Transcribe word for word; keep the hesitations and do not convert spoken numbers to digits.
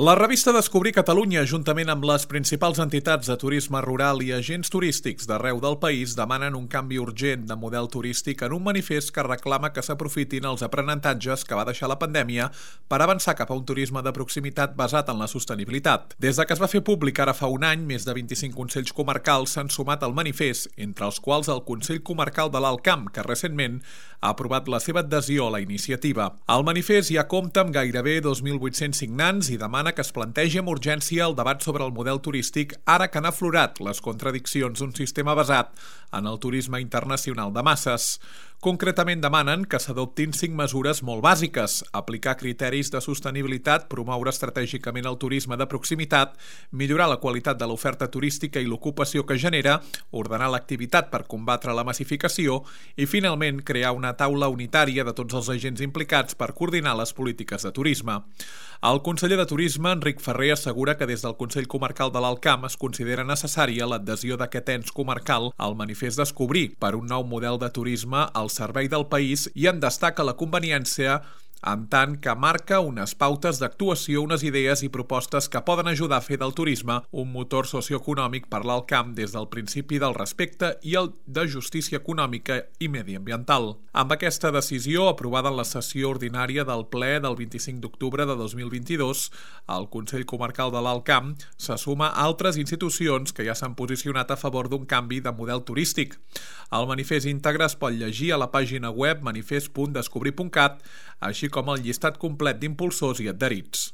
La revista Descobrir Catalunya, juntament amb les principals entitats de turisme rural i agents turístics d'arreu del país, demanen un canvi urgent de model turístic en un manifest que reclama que s'aprofitin els aprenentatges que va deixar la pandèmia per avançar cap a un turisme de proximitat basat en la sostenibilitat. Des de que es va fer públic ara fa un any, més de vint-i-cinc consells comarcals s'han sumat al manifest, entre els quals el Consell Comarcal de l'Alt Camp, que recentment ha aprovat la seva adhesió a la iniciativa. El manifest ja compta amb gairebé dos mil vuit-cents signants i demana que es plantegi amb urgència el debat sobre el model turístic ara que han aflorat les contradiccions d'un sistema basat en el turisme internacional de masses. Concretament demanen que s'adoptin cinc mesures molt bàsiques: aplicar criteris de sostenibilitat, promoure estratègicament el turisme de proximitat, millorar la qualitat de l'oferta turística i l'ocupació que genera, ordenar l'activitat per combatre la massificació i, finalment, crear una taula unitària de tots els agents implicats per coordinar les polítiques de turisme. El conseller de Turisme, Enric Ferrer, assegura que des del Consell Comarcal de l'Alt Camp es considera necessària l'adhesió d'aquest ens comarcal al manifest Descobrir per un nou model de turisme al servei del país i en destaca la conveniència en tant que marca unes pautes d'actuació, unes idees i propostes que poden ajudar a fer del turisme un motor socioeconòmic per l'Alt Camp des del principi del respecte i el de justícia econòmica i mediambiental. Amb aquesta decisió, aprovada en la sessió ordinària del ple del vint-i-cinc d'octubre de dos mil vint-i-dos, el Consell Comarcal de l'Alt Camp se suma a altres institucions que ja s'han posicionat a favor d'un canvi de model turístic. El manifest íntegre es pot llegir a la pàgina web manifest punt descobrir punt cat, així com el llistat complet d'impulsors i adherits.